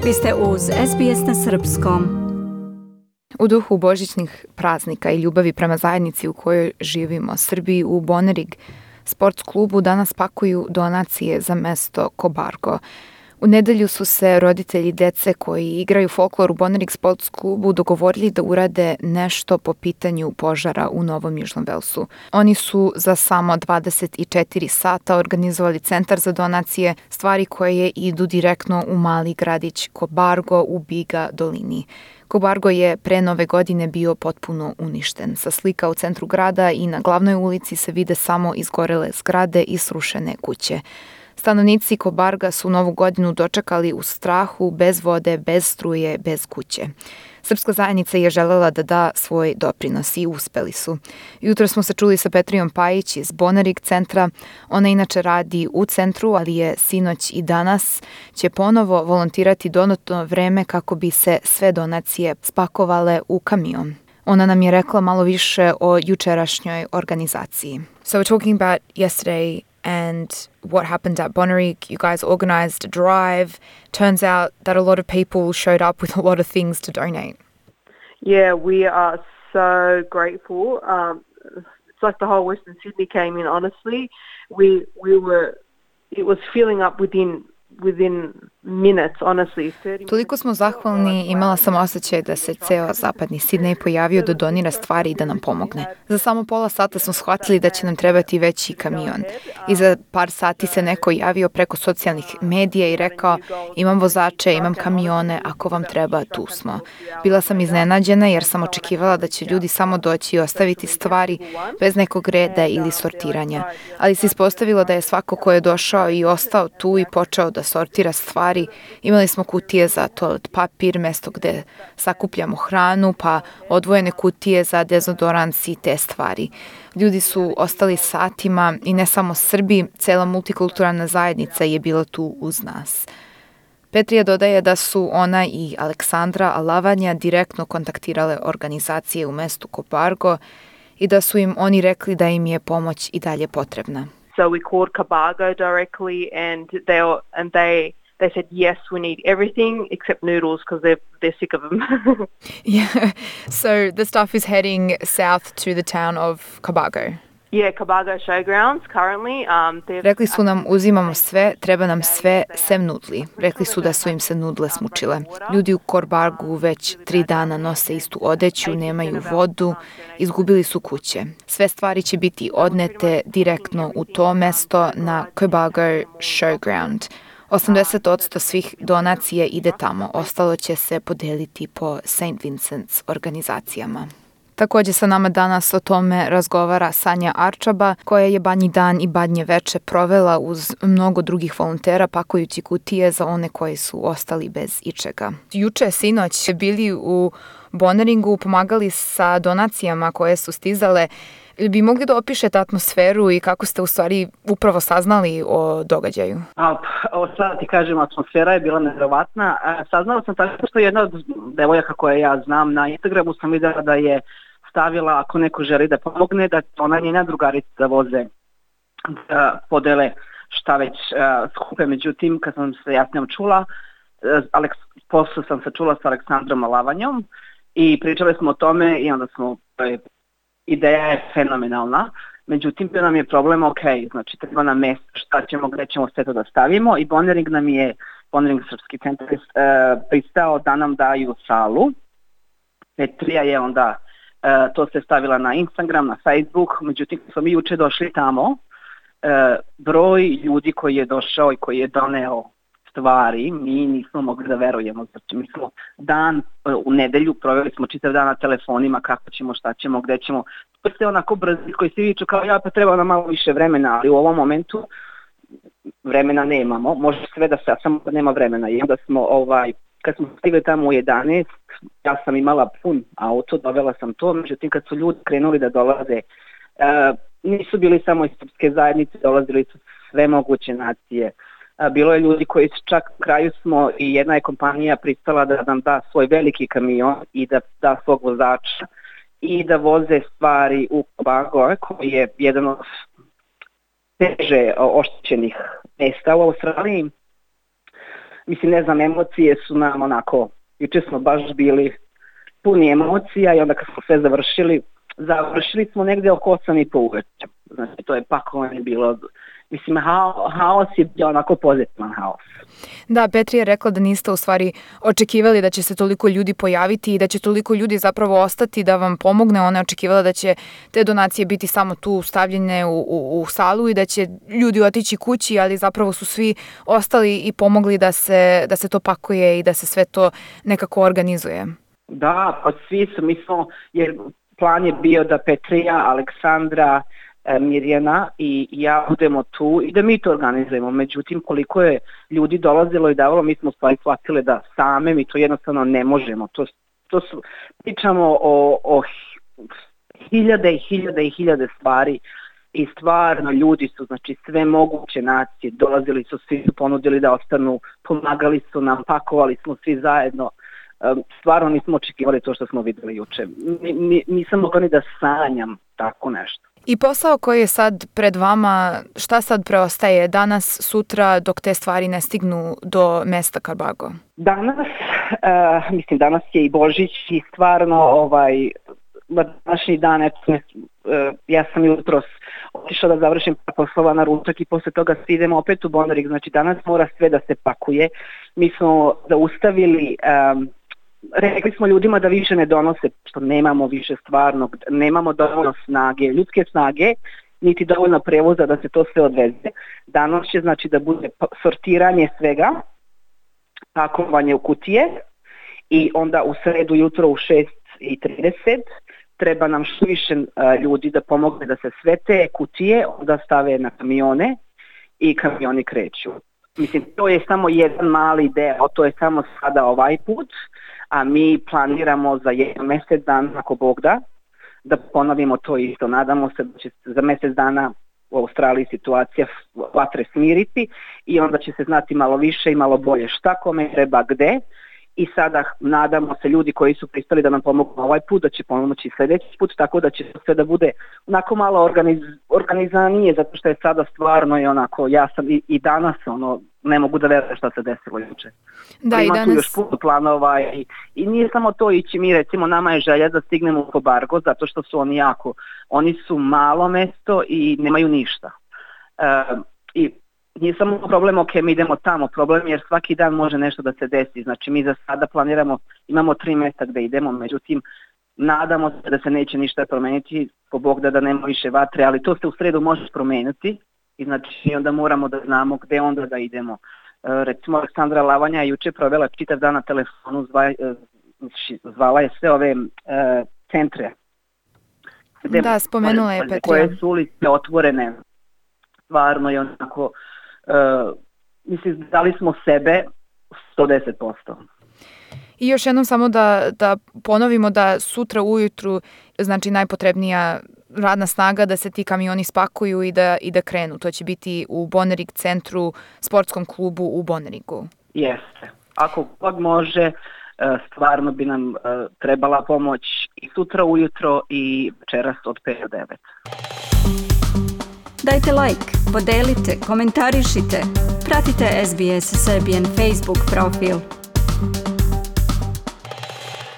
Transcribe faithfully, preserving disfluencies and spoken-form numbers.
Vi ste uz S B S na srpskom. U duhu božićnih praznika i ljubavi prema zajednici u kojoj živimo, Srbiji u Bonerig sports klubu danas pakuju donacije za mesto Cobargo. U nedelju su se roditelji dece koji igraju folklor u Bonerig sports klubu dogovorili da urade nešto po pitanju požara u Novom Južnom Velsu. Oni su za samo dvadeset četiri sata organizovali centar za donacije, stvari koje idu direktno u mali gradić Cobargo u Biga dolini. Cobargo je pre nove godine bio potpuno uništen. Sa slika u centru grada i na glavnoj ulici se vide samo izgorele zgrade i srušene kuće. Stanovnici Cobarga su novu godinu dočekali u strahu, bez vode, bez struje, bez kuće. Srpska zajednica je želela da da svoj doprinos i uspeli su. Jutro smo se čuli sa Petrijom Pajić iz Bonerig centra. Ona inače radi u centru, ali je sinoć i danas će ponovo volontirati dodatno vreme kako bi se sve donacije spakovale u kamion. Ona nam je rekla malo više o jučerašnjoj organizaciji. So we're talking about yesterday and what happened at Bonerig. You guys organized a drive. Turns out that a lot of people showed up with a lot of things to donate. Yeah, we are so grateful. Um, it's like the whole Western Sydney came in, honestly. We we were, it was filling up within within minutes, honestly. Toliko smo zahvalni, imala sam osjećaj da se ceo zapadni Sidnej pojavio da donira stvari i da nam pomogne. Za samo pola sata smo shvatili da će nam trebati veći kamion. I za par sati se neko javio preko socijalnih medija i rekao: imam vozače, imam kamione, ako vam treba, tu smo. Bila sam iznenađena jer sam očekivala da će ljudi samo doći i ostaviti stvari bez nekog reda ili sortiranja. Ali se ispostavilo da je svako ko je došao i ostao tu i počeo da sortira stvari. Imali smo kutije za toalet papir, mesto gde sakupljamo hranu, pa odvojene kutije za dezodorans i te stvari. Ljudi su ostali satima i ne samo Srbi, cela multikulturalna zajednica je bila tu uz nas. Petrija dodaje da su ona i Aleksandra Alavanja direktno kontaktirale organizacije u mestu Cobargo i da su im oni rekli da im je pomoć i dalje potrebna. So we called Cobargo directly, and they and they they said yes, we need everything except noodles because they're they're sick of them. Yeah. So the stuff is heading south to the town of Cobargo. Yeah, Cobargo Showgrounds currently. Um, Rekli su nam uzimamo sve, treba nam sve, sem nudli. Rekli su da su im se nudle smučile. Ljudi u Cobargu već tri dana nose istu odeću, nemaju vodu, izgubili su kuće. Sve stvari će biti odnete direktno u to mesto na Cobargo Showground. osamdeset posto svih donacija ide tamo, ostalo će se podeliti po Saint Vincent's organizacijama. Također sa nama danas o tome razgovara Sanja Arčaba, koja je Badnji dan i Badnje veče provela uz mnogo drugih volontera pakujući kutije za one koji su ostali bez ičega. Juče, sinoć, bili u Boneringu, pomagali sa donacijama koje su stizale. Bi mogli da opišete atmosferu i kako ste u stvari upravo saznali o događaju? A, o, sad ti kažem, atmosfera je bila nevjerovatna. Saznala sam tako što jedna od devojaka koje ja znam na Instagramu sam vidjela da je stavila, ako neko želi da pomogne, da ona njena drugarica da voze, da podele šta već uh, skupe. Međutim, kad sam se ja s njom čula, uh, Aleks, posle sam se čula sa Aleksandrom Alavanjom i pričali smo o tome i onda smo, uh, ideja je fenomenalna. Međutim, bio nam je problem, ok, znači treba nam mjesto, šta ćemo, gdje ćemo sve to da stavimo i Bonerig nam je, Bonerig srpski centar, uh, pristao da nam daju salu. Petrija je onda Uh, to se stavila na Instagram, na Facebook, međutim kad smo mi juče došli tamo, uh, broj ljudi koji je došao i koji je doneo stvari, mi nismo mogli da verujemo. Znači mi smo dan, uh, u nedelju proveli smo čitav dan na telefonima kako ćemo, šta ćemo, gde ćemo. To je onako brzi koji se viču kao ja, pa treba nam malo više vremena, ali u ovom momentu vremena nemamo, može sve da se, a samo nema vremena. I onda smo ovaj, kad smo stigli tamo u jedanaest, ja sam imala pun auto, dovela sam to, međutim kad su ljudi krenuli da dolaze, uh, nisu bili samo iz srpske zajednice, dolazili su sve moguće nacije. Uh, bilo je ljudi koji čak u kraju smo i jedna je kompanija pristala da nam da svoj veliki kamion i da da svog vozača i da voze stvari u Cobargo, koji je jedan od teže oštećenih mesta u Australiji. mislim, ne znam, emocije su nam onako, juče smo baš bili puni emocija i onda kad smo sve završili, završili smo negdje oko osam i po uveče. Znači, to je pakovanje bilo, mislim, hao, haos je bio onako pozitivan haos. Da, Petri je rekla da niste u stvari očekivali da će se toliko ljudi pojaviti i da će toliko ljudi zapravo ostati da vam pomogne. Ona je očekivala da će te donacije biti samo tu stavljene u, u, u salu i da će ljudi otići kući, ali zapravo su svi ostali i pomogli da se, da se to pakuje i da se sve to nekako organizuje. Da, pa svi su, mi smo, jer plan je bio da Petrija, Aleksandra, Mirjana i ja budemo tu i da mi to organizujemo. Međutim, koliko je ljudi dolazilo i davalo, mi smo stvari shvatili da same mi to jednostavno ne možemo. To, to su, pričamo o, o hiljade i hiljade i hiljade stvari i stvarno ljudi su, znači sve moguće nacije, dolazili su, svi su ponudili da ostanu, pomagali su nam, pakovali smo svi zajedno. Stvarno nismo očekivali to što smo vidjeli juče. Nisam mogla ni da sanjam tako nešto. I posao koji je sad pred vama, šta sad preostaje danas, sutra, dok te stvari ne stignu do mesta Karbago? Danas, uh, mislim, danas je i Božić i stvarno ovaj, današnji dan, eto, uh, ja sam jutros otišla da završim par poslova na ručak i posle toga svi idemo opet u Bonarig, znači danas mora sve da se pakuje. Mi smo zaustavili... Um, Rekli smo ljudima da više ne donose, što nemamo više stvarno, nemamo dovoljno snage, ljudske snage, niti dovoljno prevoza da se to sve odveze. Danas će znači da bude sortiranje svega, pakovanje u kutije i onda u sredu jutro u šest i trideset treba nam što više ljudi da pomogne da se sve te kutije onda stave na kamione i kamioni kreću. Mislim, to je samo jedan mali deo, to je samo sada ovaj put, a mi planiramo za jedan mjesec dana, ako Bog da, da ponovimo to isto. Nadamo se da će za mjesec dana u Australiji situacija vatre smiriti i onda će se znati malo više i malo bolje šta kome treba gde. I sada nadamo se ljudi koji su pristali da nam pomognu ovaj put, da će pomoći sljedeći put, tako da će sve da bude onako malo organiz, organizanije, zato što je sada stvarno i onako, ja sam i, i danas ono, ne mogu da verujem šta se desilo juče. Da, ima i danas... tu još puno planova i, i nije samo to ići, mi recimo nama je želja da stignemo u Cobargo, zato što su oni jako, oni su malo mesto i nemaju ništa. E, I nije samo problem, ok, mi idemo tamo, problem jer svaki dan može nešto da se desi, znači mi za sada planiramo, imamo tri mjesta gdje idemo, međutim nadamo se da se neće ništa promeniti, po Bog da da nema više vatre, ali to se u sredu može promeniti i znači onda moramo da znamo gdje onda da idemo. E, recimo Aleksandra Lavanja je juče provela čitav dan na telefonu, zva, zvala je sve ove e, centre. Da, spomenula je Petrija. Koje su ulice otvorene, stvarno je onako... Uh, mislim, dali smo sebe sto deset posto. I još jednom samo da, da ponovimo da sutra ujutru znači najpotrebnija radna snaga da se ti kamioni spakuju i da, i da krenu. To će biti u Bonarig centru, sportskom klubu u Bonarigu. Jeste. Ako god može, stvarno bi nam trebala pomoć i sutra ujutro i večeras od pet do devet. Dajte like, podelite, komentarišite. Pratite S B S Serbian Facebook profil.